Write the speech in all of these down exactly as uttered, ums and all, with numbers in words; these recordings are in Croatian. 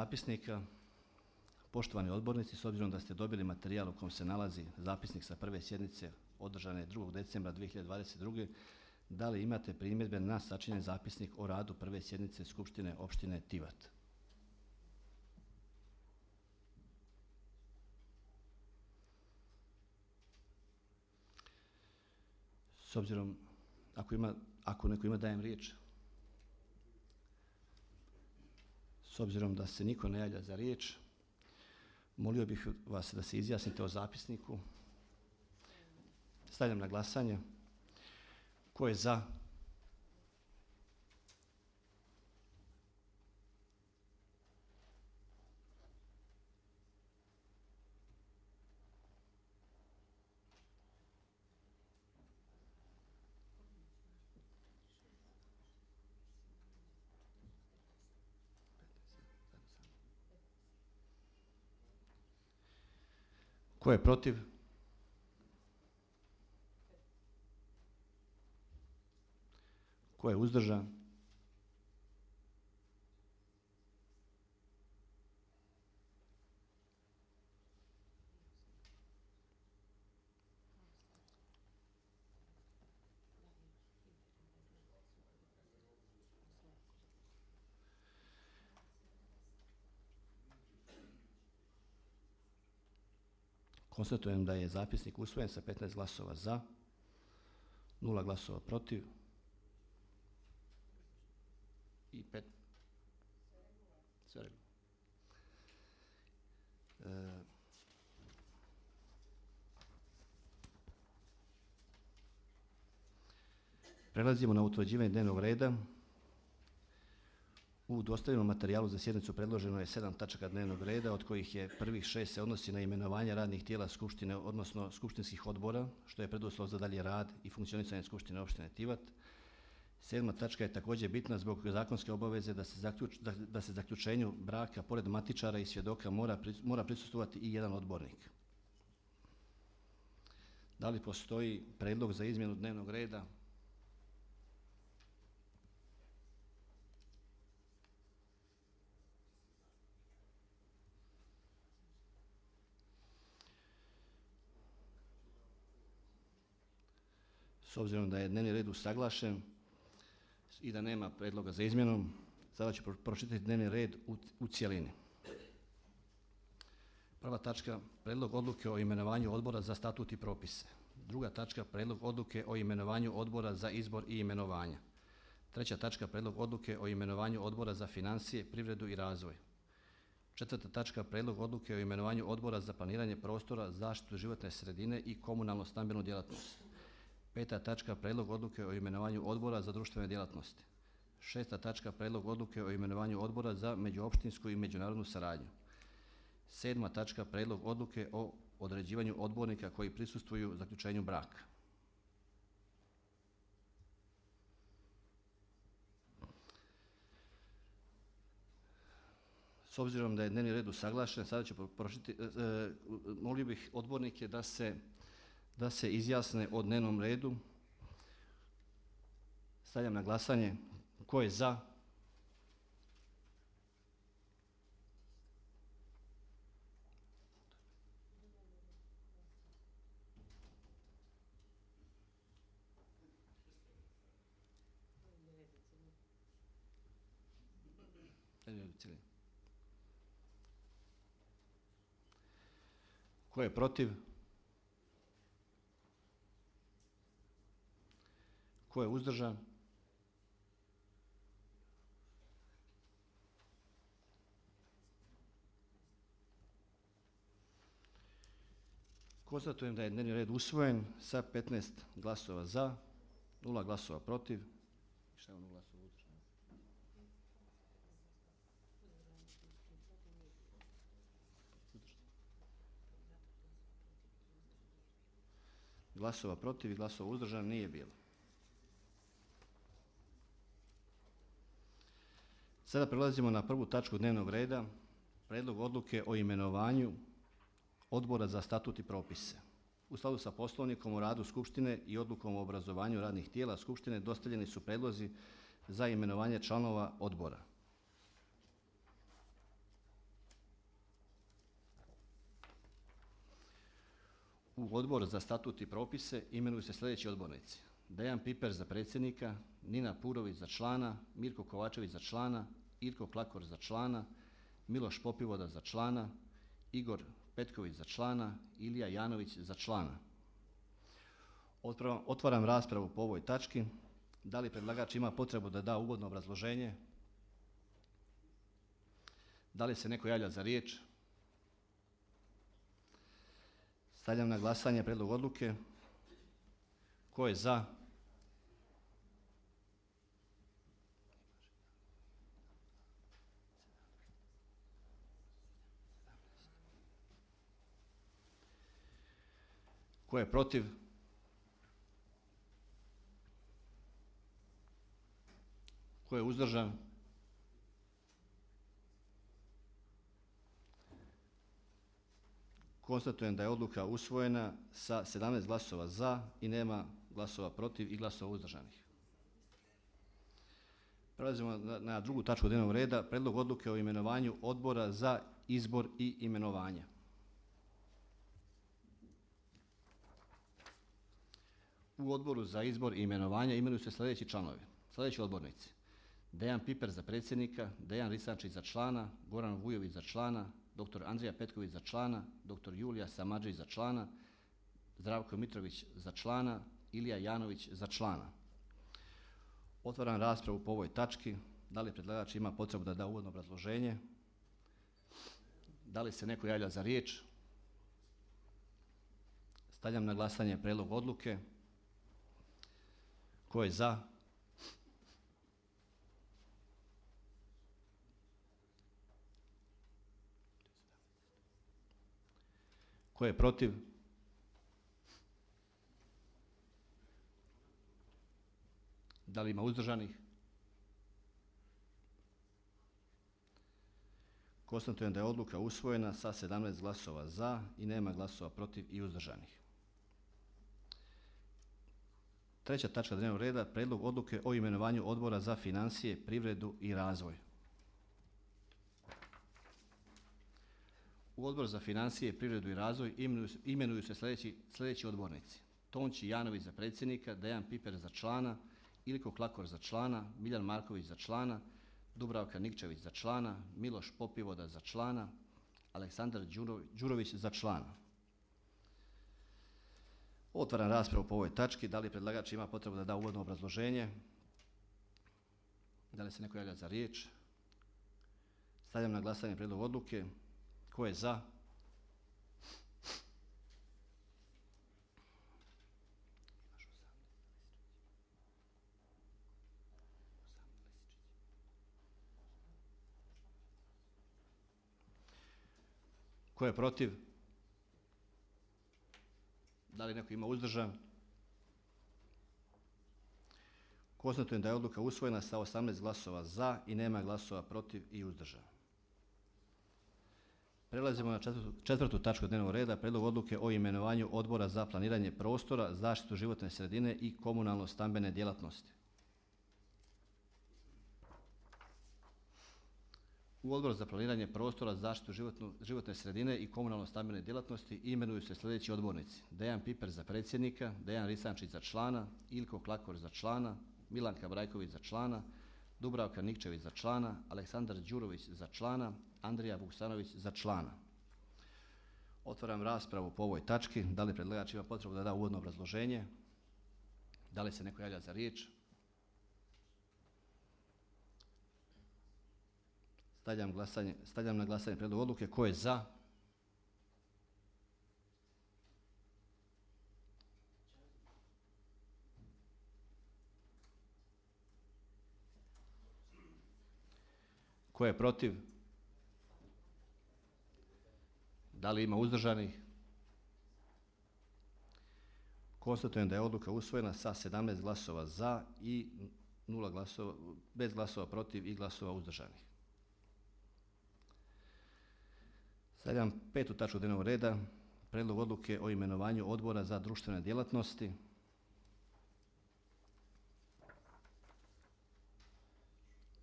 zapisnika. Poštovani odbornici, s obzirom da ste dobili materijal u kojem se nalazi zapisnik sa prve sjednice održane drugog decembra dvije hiljade dvadeset druge. Da li imate primjedbe na sačinjen zapisnik o radu prve sjednice Skupštine opštine Tivat? S obzirom, ako, ima, ako neko ima, dajem riječ. S obzirom da se niko ne javlja za riječ, molio bih vas da se izjasnite o zapisniku. Stavljam na glasanje. Ko je za? Ko je protiv? Ko je uzdržan? Konstatujem da je zapisnik usvojen sa petnaest glasova za, nula glasova protiv i pet. Sve. E, prelazimo na utvrđivanje dnevnog reda. U dostavljenom materijalu za sjednicu predloženo je sedam tačaka dnevnog reda, od kojih je prvih šest se odnosi na imenovanje radnih tijela Skupštine, odnosno skupštinskih odbora, što je preduslov za dalji rad i funkcionisanje Skupštine opštine Tivat. Sedma tačka je također bitna zbog zakonske obaveze da se, zaključ, da, da se zaključenju braka pored matičara i svjedoka mora, mora prisustvovati i jedan odbornik. Da li postoji prijedlog za izmjenu dnevnog reda? S obzirom da je dnevni red usaglašen i da nema prijedloga za izmjenom, sada ću pročitati dnevni red u, u cjelini. Prva tačka, prijedlog odluke o imenovanju odbora za statut i propise. Druga tačka, prijedlog odluke o imenovanju odbora za izbor i imenovanja. Treća tačka, prijedlog odluke o imenovanju odbora za financije, privredu i razvoj. Četvrta tačka, prijedlog odluke o imenovanju odbora za planiranje prostora, zaštitu životne sredine i komunalno stambenu djelatnost. Peta tačka, prijedlog odluke o imenovanju odbora za društvene djelatnosti. Šesta tačka, prijedlog odluke o imenovanju odbora za međuopštinsku i međunarodnu saradnju. Sedma tačka, prijedlog odluke o određivanju odbornika koji prisustvuju zaključenju braka. S obzirom da je dnevni red usaglašen, sada ću pročitati, e, e, molio bih odbornike da se da se izjasne o dnevnom redu. Stavljam na glasanje. Ko je za? Ko je protiv? Ko je uzdržan? Konstatujem da je dnevni red usvojen sa petnaest glasova za, nula glasova protiv. Šta je ono glasova uzdržan? Glasova protiv i glasova uzdržan nije bilo. Sada prelazimo na prvu tačku dnevnog reda, prijedlog odluke o imenovanju odbora za statut i propise. U skladu sa Poslovnikom o radu Skupštine i odlukom o obrazovanju radnih tijela Skupštine dostavljeni su prijedlozi za imenovanje članova odbora. U Odbor za statut i propise imenuju se sljedeći odbornici: Dejan Piper za predsjednika, Nina Purović za člana, Mirko Kovačević za člana, Irko Klakor za člana, Miloš Popivoda za člana, Igor Petković za člana, Ilija Janović za člana. Otvaram, otvaram raspravu po ovoj tački. Da li predlagač ima potrebu da da uvodno obrazloženje? Da li se neko javlja za riječ? Stavljam na glasanje prijedlog odluke. Tko je za? Tko je protiv? Tko je uzdržan? Konstatujem da je odluka usvojena sa sedamnaest glasova za i nema glasova protiv i glasova uzdržanih. Prelazimo na, na drugu točku dnevnog reda, prijedlog odluke o imenovanju odbora za izbor i imenovanja. U Odboru za izbor i imenovanja imenuju se sljedeći članovi, sljedeći odbornici: Dejan Piper za predsjednika, Dejan Risančić za člana, Goran Vujović za člana, doktor Andrija Petković za člana, doktor Julija Samardžić za člana, Zdravko Mitrović za člana, Ilija Janović za člana. Otvaram raspravu po ovoj tački. Da li predlagač ima potrebu da da uvodno obrazloženje? Da li se neko javlja za riječ? Stavljam na glasanje prijedlog odluke. Tko je za? Tko je protiv? Da li ima uzdržanih? Konstatujem da je odluka usvojena sa sedamnaest glasova za i nema glasova protiv i uzdržanih. Treća točka dnevnog reda, prijedlog odluke o imenovanju Odbora za financije, privredu i razvoj. U Odbor za financije, privredu i razvoj imenuju, imenuju se sljedeći, sljedeći odbornici: Tonči Janović za predsjednika, Dejan Piper za člana, Ilko Klakor za člana, Miljan Marković za člana, Dubravka Nikčević za člana, Miloš Popivoda za člana, Aleksandar Đurović za člana. Otvaram raspravu po ovoj tački. Da li predlagač ima potrebu da da uvodno obrazloženje? Da li se neko javlja za riječ? Stavljam na glasanje prijedlog odluke. Tko je za? Tko je protiv? Da li neko ima uzdržan? Konstatujem da je odluka usvojena sa osamnaest glasova za i nema glasova protiv i uzdržan. Prelazimo na četvrtu, četvrtu točku dnevnog reda, prijedlog odluke o imenovanju Odbora za planiranje prostora, zaštitu životne sredine i komunalno-stambene djelatnosti. U Odbor za planiranje prostora, zaštitu životnu, životne sredine i komunalno-stambene djelatnosti imenuju se sljedeći odbornici: Dejan Piper za predsjednika, Dejan Risančić za člana, Ilko Klakor za člana, Milanka Brajković za člana, Dubravka Nikčević za člana, Aleksandar Đurović za člana, Andrija Vuksanović za člana. Otvaram raspravu po ovoj tački. Da li predlagač ima potrebu da da uvodno obrazloženje? Da li se neko javlja za riječ? Stavljam, glasanje, stavljam na glasanje prijedlog odluke. Tko je za? Tko je protiv? Da li ima uzdržanih? Konstatujem da je odluka usvojena sa sedamnaest glasova za i nula glasova, bez glasova protiv i glasova uzdržanih. Stavljam petu točku dnevnog reda, prijedlog odluke o imenovanju Odbora za društvene djelatnosti.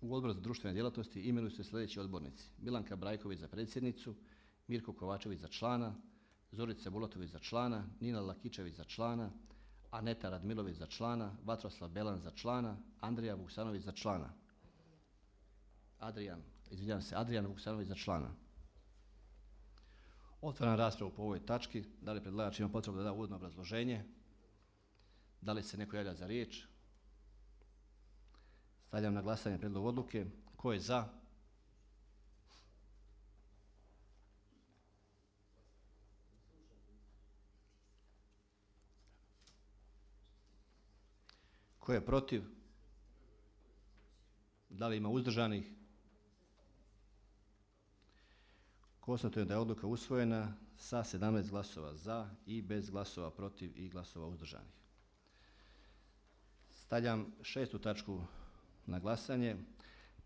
U Odbor za društvene djelatnosti imenuju se sljedeći odbornici: Milanka Brajković za predsjednicu, Mirko Kovačević za člana, Zorica Bulatović za člana, Nina Lakičević za člana, Aneta Radmilović za člana, Vatroslav Belan za člana, Andrija Vuksanović za člana. Adrijan, izvinjavam se, Adrijan Vuksanović za člana. Otvaram raspravu po ovoj tački. Da li predlagač ima potrebu da da uvodno obrazloženje? Da li se neko javlja za riječ? Stavljam na glasanje prijedlog odluke. Tko je za? Tko je protiv? Da li ima uzdržanih? Konstatujem da je odluka usvojena sa sedamnaest glasova za i bez glasova protiv i glasova uzdržanih. Stavljam šestu tačku na glasanje.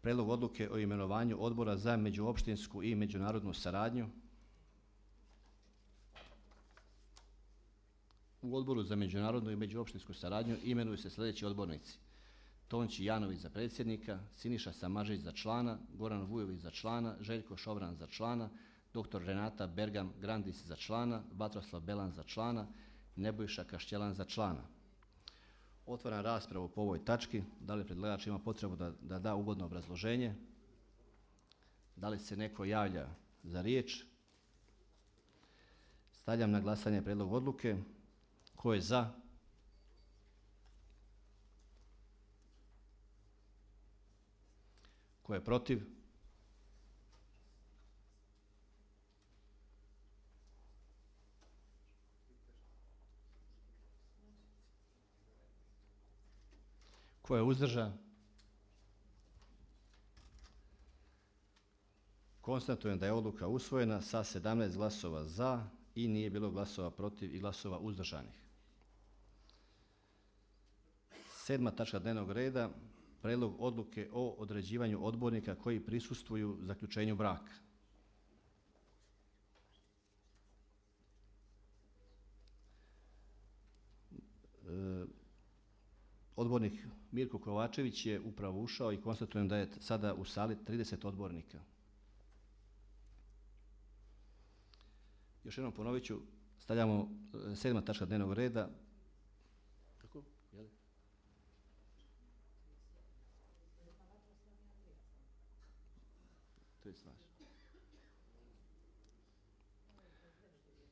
Prijedlog odluke o imenovanju Odbora za međuopštinsku i međunarodnu saradnju. U Odboru za međunarodnu i međuopštinsku saradnju imenuju se sljedeći odbornici: Tonči Janović za predsjednika, Siniša Samažić za člana, Goran Vujović za člana, Željko Šobran za člana, doktor Renata Bergam Grandis za člana, Vatroslav Belan za člana, Nebojša Kaštjelan za člana. Otvaram raspravu po ovoj tački. Da li predlagač ima potrebu da, da da uvodno obrazloženje? Da li se neko javlja za riječ? Stavljam na glasanje prijedlog odluke. Tko je za? Tko je protiv? Tko je uzdržan? Konstatujem da je odluka usvojena sa sedamnaest glasova za i nije bilo glasova protiv i glasova uzdržanih. Sedma tačka dnevnog reda. Prijedlog odluke o određivanju odbornika koji prisustvuju zaključenju braka. E, odbornik Mirko Kovačević je upravo ušao i konstatujem da je sada u sali trideset odbornika. Još jednom ponovit ću, stavljamo sedma tačka dnevnog reda. Kako? Jel? To je slaž.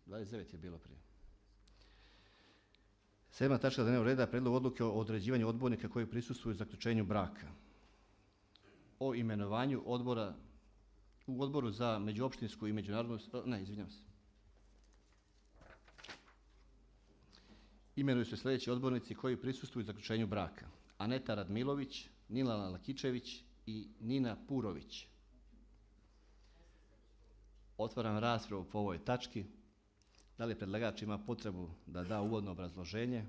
dvadeset devet je bilo prije. Sedma tačka dnevnog reda. Prijedlog odluke o određivanju odbornika koji prisustvuju zaključenju braka. O imenovanju odbora u Odboru za međuopštinsku i međunarodnu... Ne, izvinjam se. Imenuju se sljedeći odbornici koji prisustvuju zaključenju braka: Aneta Radmilović, Nina Lakičević i Nina Purović. Otvaram raspravu po ovoj tački. Da li predlagač ima potrebu da da uvodno obrazloženje?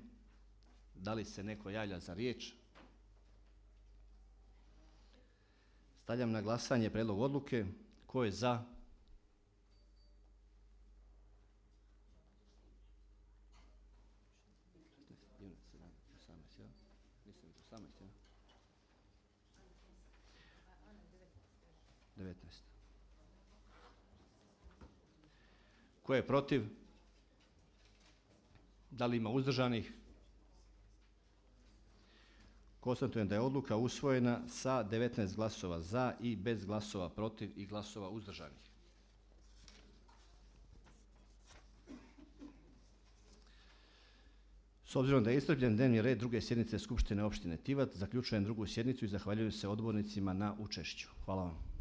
Da li se neko javlja za riječ? Stavljam na glasanje prijedlog odluke. Tko je za? devetnaest. Tko je protiv? Da li ima uzdržanih? Konstatujem da je odluka usvojena sa devetnaest glasova za i bez glasova protiv i glasova uzdržanih. S obzirom da je iscrpljen dnevni red druge sjednice Skupštine opštine Tivat, zaključujem drugu sjednicu i zahvaljujem se odbornicima na učešću. Hvala vam.